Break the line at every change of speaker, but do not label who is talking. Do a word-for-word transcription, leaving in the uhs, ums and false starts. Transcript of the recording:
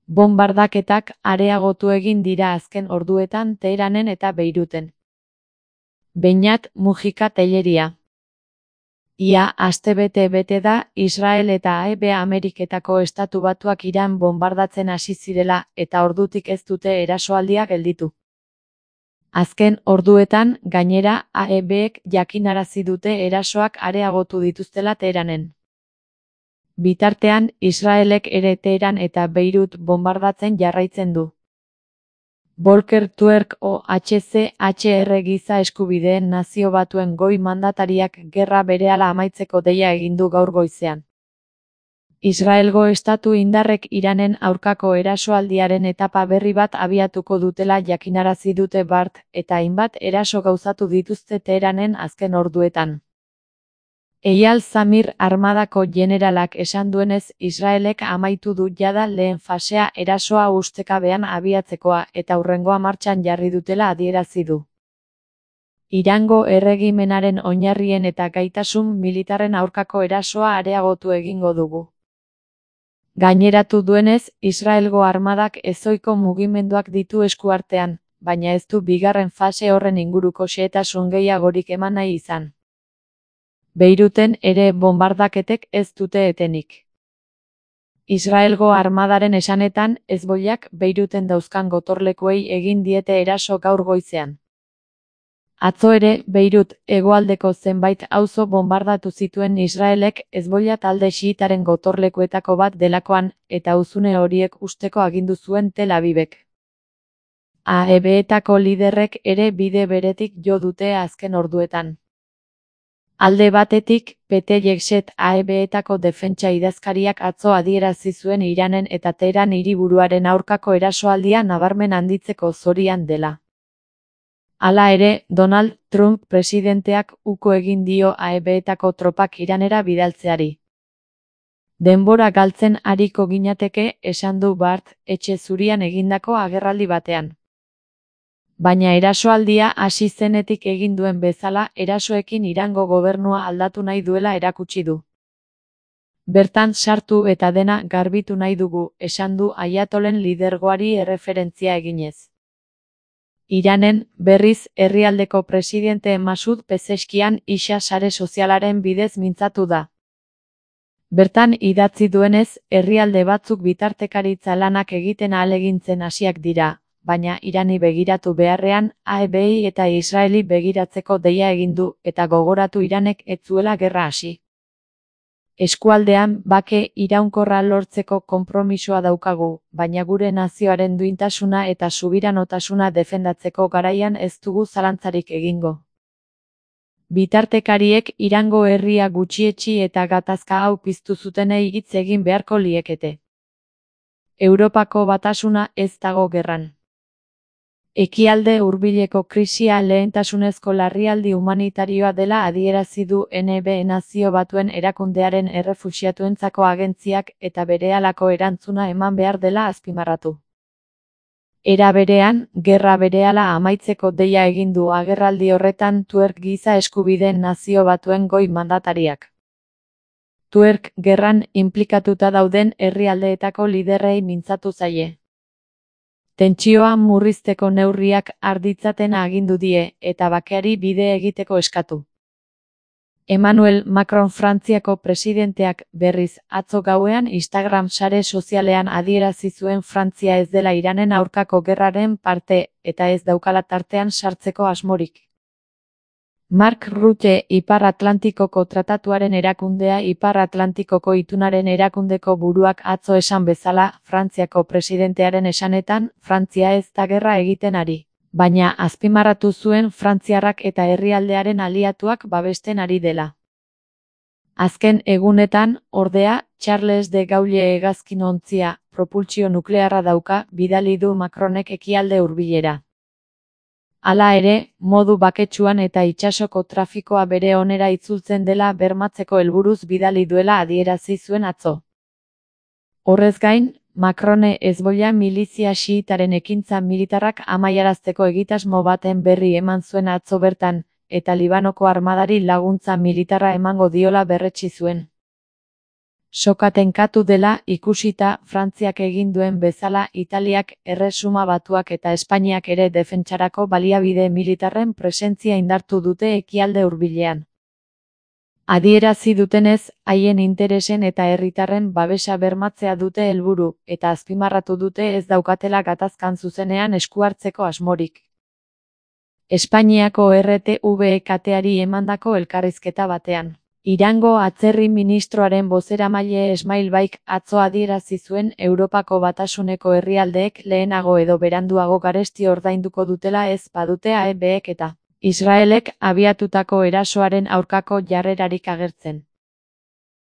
Bonbardaketak areagotu egin dira azken orduetan Teheranen eta Beiruten. Beñat Mujika Telleria. Ia astebete bete da Israel eta A E B Ameriketako Estatu Batuak Iran bonbardatzen hasi zirela eta ordutik ez dute erasoaldia gelditu. Azken orduetan, gainera, A E Bek jakinarazi dute erasoak areagotu dituztela Teheranen. Bitartean, Israelek ere Teheran eta Beirut bonbardatzen jarraitzen du. Volker Turk O H C H R Giza Eskubideen Nazio Batuen goi mandatariak gerra berehala amaitzeko deia egin du gaur goizean. Israelgo estatu indarrek Iranen aurkako erasoaldiaren etapa berri bat abiatuko dutela jakinarazi dute bart, eta hainbat eraso gauzatu dituzte Teheranen azken orduetan. Eyal Zamir armadako generalak esan duenez Israelek amaitu du jada lehen fasea erasoa ustekabean abiatzekoa eta hurrengoa martxan jarri dutela adierazi du. Irango erregimenaren oinarrien eta gaitasun militarren aurkako erasoa areagotu egingo dugu. Gaineratu duenez, Israelgo armadak ezohiko mugimenduak ditu eskuartean, baina ez du bigarren fase horren inguruko xehetasun gehiagorik eman nahi izan. Beiruten ere bonbardaketek ez dute etenik. Israelgo armadaren esanetan, hezbolak Beiruten dauzkan gotorlekuei egin diete eraso gaur goizean. Atzo ere, Beirut hegoaldeko zenbait auzo bonbardatu zituen Israelek Hezbollah talde xiitaren gotorlekuetako bat delakoan, eta huzune horiek usteko agindu zuen Tel Avivek. A E Betako liderrek ere bide beretik jo dute azken orduetan. Alde batetik, Pete Yekset A E Betako defentsa idazkariak atzo adierazi zuen Iranen eta Teheran hiriburuaren aurkako erasoaldia nabarmen handitzeko zorian dela. Hala ere, Donald Trump presidenteak uko egin dio A E Betako tropak Iranera bidaltzeari. Denbora galtzen ariko ginateke, esan du bart, etxe zurian egindako agerraldi batean. Baina erasoaldia hasi zenetik egin duen bezala, erasoekin Irango gobernua aldatu nahi duela erakutsi du. Bertan sartu eta dena garbitu nahi dugu, esan du Ayatolen lidergoari erreferentzia eginez. Iranen, berriz, herrialdeko presidente Masud Pezeskian isa sare sozialaren bidez mintzatu da. Bertan idatzi duenez, herrialde batzuk bitartekaritza lanak egiten ahalegintzen hasiak dira, baina Irani begiratu beharrean, A E Bi eta Israeli begiratzeko deia egin du eta gogoratu Iranek ez zuela gerra hasi. Eskualdean bake iraunkorra lortzeko konpromisoa daukagu, baina gure nazioaren duintasuna eta subiranotasuna defendatzeko garaian ez dugu zalantzarik egingo. Bitartekariek Irango herria gutxietsi eta gatazka hau piztu zutenei hitz egin beharko liekete. Europako batasuna ez dago gerran. Ekialde hurbileko krisia lehentasunezko larrialdi humanitarioa dela adierazi du N B Nazio Batuen erakundearen errefuxiatuentzako agentziak eta berehalako erantzuna eman behar dela azpimarratu. Era berean, gerra berehala amaitzeko deia egin du agerraldi horretan Turk Giza Eskubideen Nazio Batuen goi mandatariak. Turk gerran inplikatuta dauden herrialdeetako liderrei mintzatu zaie. Tentsioa murrizteko neurriak har ditzaten agindu die, eta bakeari bide egiteko eskatu. Emmanuel Macron Frantziako presidenteak, berriz, atzo gauean Instagram sare sozialean adierazi zuen Frantzia ez dela Iranen aurkako gerraren parte, eta ez daukala tartean sartzeko asmorik. Mark Rutte Ipar Atlantikoko Tratatuaren erakundea Ipar Atlantikoko itunaren erakundeko buruak atzo esan bezala, Frantziako presidentearen esanetan, Frantzia ez da gerra egiten ari, baina azpimarratu zuen frantziarrak eta herrialdearen aliatuak babesten ari dela. Azken egunetan, ordea, Charles de Gaulle hegazkin ontzia, propultsio nuklearra dauka, bidali du Macronek ekialde hurbilera. Hala ere, modu baketsuan eta itsasoko trafikoa bere onera itzultzen dela bermatzeko helburuz bidali duela adierazi zuen atzo. Horrez gain, Macrone Hezbollah milizia xiitaren ekintza militarrak amaiarazteko egitasmo baten berri eman zuen atzo bertan, eta Libanoko armadari laguntza militarra emango diola berretsi zuen. Soka tenkatu dela ikusita Frantziak egin duen bezala Italiak, Erresuma Batuak eta Espainiak ere defentsarako baliabide militarren presentzia indartu dute ekialde hurbilean. Adierazi dutenez, haien interesen eta herritarren babesa bermatzea dute helburu, eta azpimarratu dute ez daukatela gatazkan zuzenean esku hartzeko asmorik. Espainiako R T V kateari emandako elkarrizketa batean. Irango atzerri ministroaren bozeramaile Esmail Baik atzo adierazi zuen Europako Batasuneko herrialdeek lehenago edo beranduago garesti ordainduko dutela ez badute A E Bek eta Israelek abiatutako erasoaren aurkako jarrerarik agertzen.